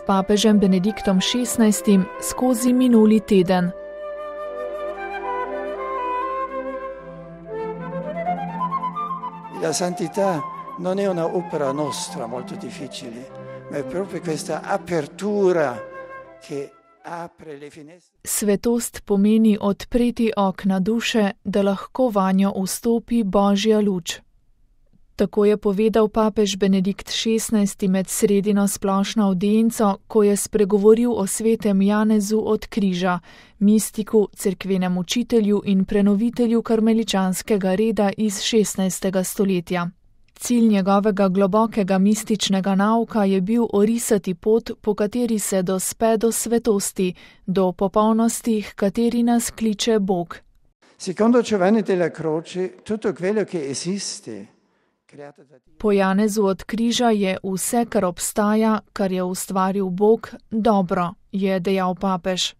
papežem Benediktom XVI skozi minuli teden. La santità non è una opera nostra molto difficile, ma è proprio questa apertura che apre le finestre. Svetost pomeni odpreti okna duše, da lahko vanjo vstopi Božja luč. Tako je povedal papež Benedikt XVI med sredino splošno avdienco, ko je spregovoril o svetem Janezu od križa, mistiku, cerkvenem učitelju in prenovitelju karmeličanskega reda iz 16. stoletja. Cilj njegovega globokega mističnega nauka je bil orisati pot, po kateri se dospe do svetosti, do popolnosti, h kateri nas kliče Bog. Secondo Giovanni della Croce, tutto quello che esiste po Janezu od križa je vse, kar obstaja, kar je ustvaril Bog, dobro, je dejal papež.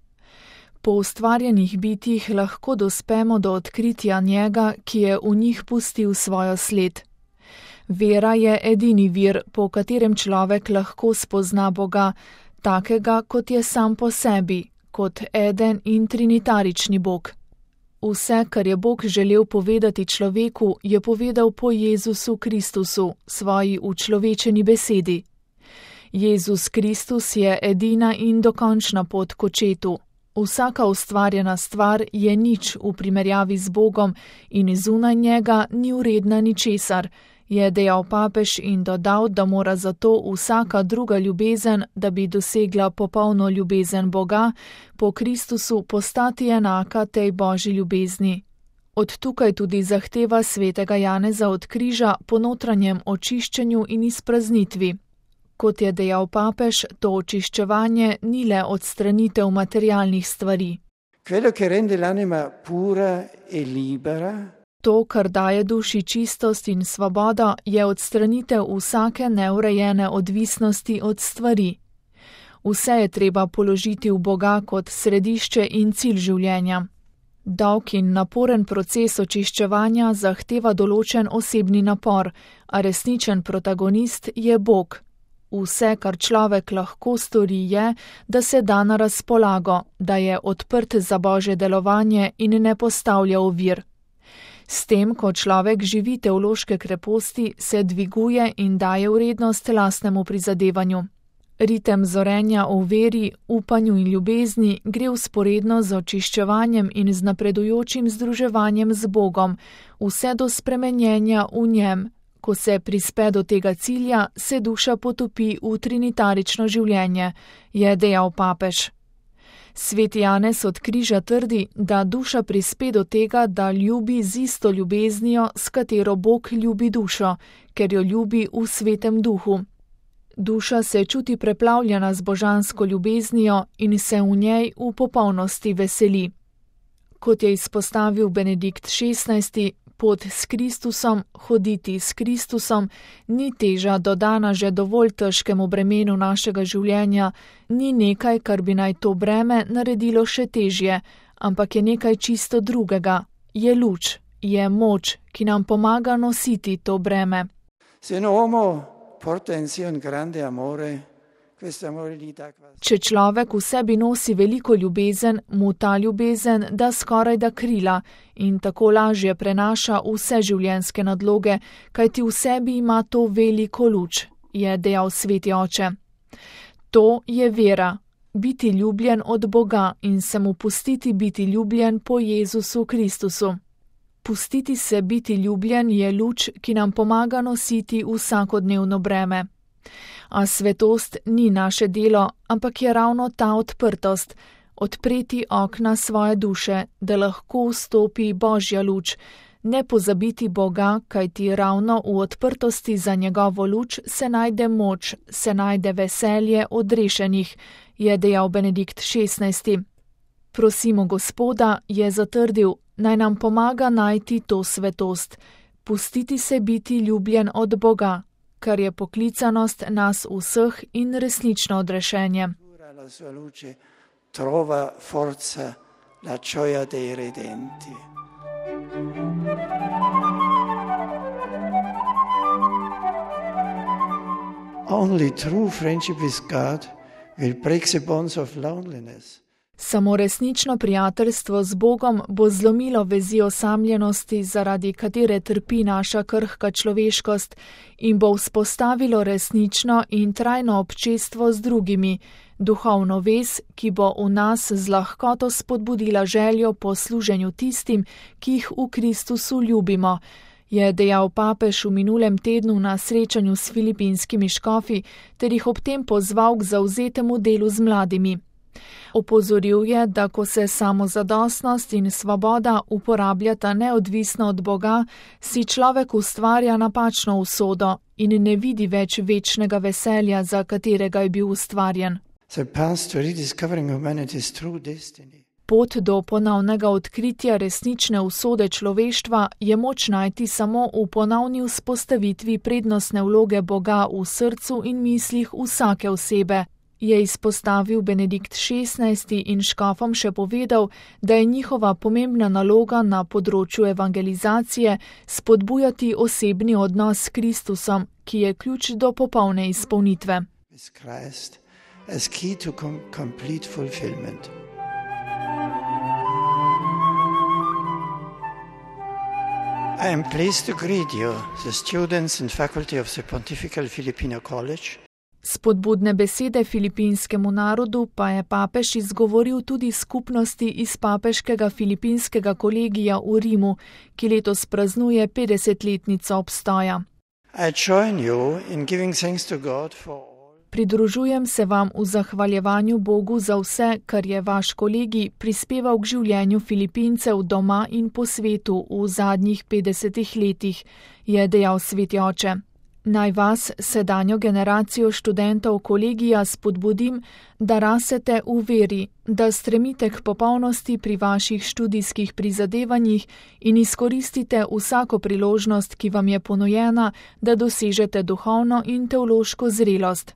Po ustvarjenih bitjih lahko dospemo do odkritja njega, ki je v njih pustil svojo sled. Vera je edini vir, po katerem človek lahko spozna Boga, takega, kot je sam po sebi, kot eden in trinitarični Bog. Vse, kar je Bog želel povedati človeku, je povedal po Jezusu Kristusu, svoji učlovečeni besedi. Jezus Kristus je edina in dokončna pot k očetu. Vsaka ustvarjena stvar je nič v primerjavi z Bogom in zunaj njega ni vredna ničesar, je dejal papež in dodal, da mora zato vsaka druga ljubezen, da bi dosegla popolno ljubezen Boga, po Kristusu postati enaka tej Božji ljubezni. Od tukaj tudi zahteva svetega Janeza od križa po notranjem očiščenju in izpraznitvi. Kot je dejal papež, to očiščevanje ni le odstranitev materialnih stvari. Quello che rende l'anima pura e libera. To, kar daje duši čistost in svobodo, je odstranitev vsake neurejene odvisnosti od stvari. Vse je treba položiti v Boga kot središče in cilj življenja. Dolg in naporen proces očiščevanja zahteva določen osebni napor, a resničen protagonist je Bog. Vse, kar človek lahko stori, je, da se da na razpolago, da je odprt za Božje delovanje in ne postavlja ovir. S tem, ko človek živi teološke kreposti, se dviguje in daje vrednost lastnemu prizadevanju. Ritem zorenja v veri, upanju in ljubezni gre vzporedno z očiščevanjem in z napredujočim združevanjem z Bogom, vse do spremenjenja v njem. Ko se prispe do tega cilja, se duša potopi v trinitarično življenje, je dejal papež. Sveti Janez od križa trdi, da duša prispe do tega, da ljubi z isto ljubeznijo, s katero Bog ljubi dušo, ker jo ljubi v svetem duhu. Duša se čuti preplavljena z božansko ljubeznijo in se v njej v popolnosti veseli. Kot je izpostavil Benedikt XVI, pot s Kristusom, hoditi s Kristusom, ni teža dodana že dovolj težkemu bremenu našega življenja, ni nekaj, kar bi naj to breme naredilo še težje, ampak je nekaj čisto drugega, je luč, je moč, ki nam pomaga nositi to breme. Se un uomo porta in sé un grande amore, če človek v sebi nosi veliko ljubezen, mu ta ljubezen da skoraj da krila in tako lažje prenaša vse življenjske nadloge, kajti v sebi ima to veliko luč, je dejal sveti oče. To je vera, biti ljubljen od Boga in se mu pustiti biti ljubljen po Jezusu Kristusu. Pustiti se biti ljubljen je luč, ki nam pomaga nositi vsakodnevno breme. A svetost ni naše delo, ampak je ravno ta odprtost, odpreti okna svoje duše, da lahko vstopi Božja luč, ne pozabiti Boga, kajti ravno v odprtosti za njegovo luč se najde moč, se najde veselje odrešenih, je dejal Benedikt XVI. Prosimo Gospoda, je zatrdil, naj nam pomaga najti to svetost, pustiti se biti ljubljen od Boga, kar je poklicanost nas vseh in resnično odrešenje. Trova forza la gioia dei redenti. Only true friendship with God Samo resnično prijateljstvo z Bogom bo zlomilo vezi osamljenosti, zaradi katere trpi naša krhka človeškost, in bo vzpostavilo resnično in trajno občestvo z drugimi, duhovno vez, ki bo v nas z lahkoto spodbudila željo po služenju tistim, ki jih v Kristusu ljubimo, je dejal papež v minulem tednu na srečanju s filipinskimi škofi, ter jih ob tem pozval k zavzetemu delu z mladimi. Opozoril je, da ko se samozadostnost in svoboda uporabljata neodvisno od Boga, si človek ustvarja napačno usodo in ne vidi več večnega veselja, za katerega je bil ustvarjen. Pot do ponovnega odkritja resnične usode človeštva je moč najti samo v ponovni vzpostavitvi prednostne vloge Boga v srcu in mislih vsake osebe, je izpostavil Benedikt XVI in škofom še povedal, da je njihova pomembna naloga na področju evangelizacije spodbujati osebni odnos s Kristusom, ki je ključ do popolne izpolnitve. I am pleased to greet you, the students and faculty of the Pontifical Filipino College. Spodbudne besede filipinskemu narodu pa je papež izgovoril tudi skupnosti iz papeškega filipinskega kolegija v Rimu, ki letos praznuje 50-letnico obstoja. Pridružujem se vam v zahvaljevanju Bogu za vse, kar je vaš kolegij prispeval k življenju Filipincev doma in po svetu v zadnjih 50 letih, je dejal sveti oče. Naj vas, sedanjo generacijo študentov kolegija, spodbudim, da rasete v veri, da stremite k popolnosti pri vaših študijskih prizadevanjih in izkoristite vsako priložnost, ki vam je ponujena, da dosežete duhovno in teološko zrelost.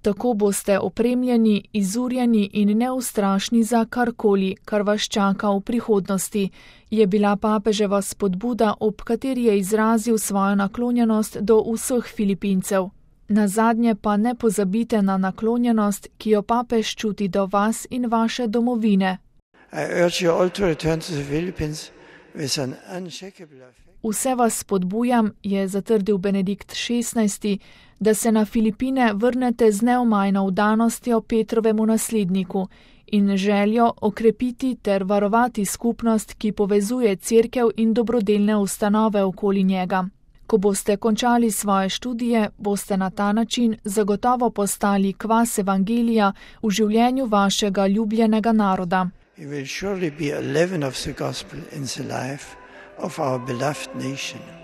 Tako boste opremljeni, izurjeni in neustrašni za karkoli, kar vas čaka v prihodnosti, je bila papeževa spodbuda, ob kateri je izrazil svojo naklonjenost do vseh Filipincev. Nazadnje pa ne pozabite na naklonjenost, ki jo papež čuti do vas in vaše domovine. Vse vas spodbujam, je zatrdil Benedikt XVI, da se na Filipine vrnete z neomajno vdanostjo Petrovemu nasledniku in željo okrepiti ter varovati skupnost, ki povezuje cerkev in dobrodelne ustanove okoli njega. Ko boste končali svoje študije, boste na ta način zagotovo postali kvas evangelija v življenju vašega ljubljenega naroda. It will surely be a leaven of the gospel in the life of our beloved nation.